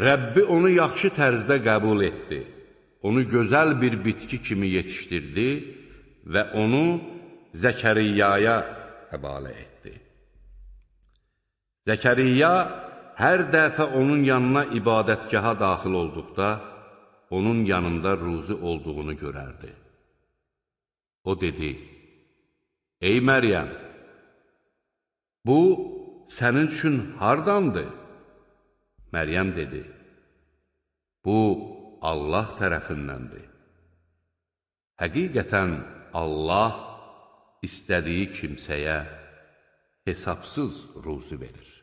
Rəbbi onu yaxşı tərzdə qəbul etdi. Onu gözəl bir bitki kimi yetişdirdi və onu Zəkəriyyaya həvalə etdi. Zəkəriyya hər dəfə onun yanına ibadətgaha daxil olduqda, onun yanında ruzi olduğunu görərdi. O dedi, ey Məryəm, bu sənin üçün hardandır? Məryəm dedi, bu Allah tərəfindəndir. Həqiqətən Allah istədiyi kimsəyə hesabsız ruzi verir.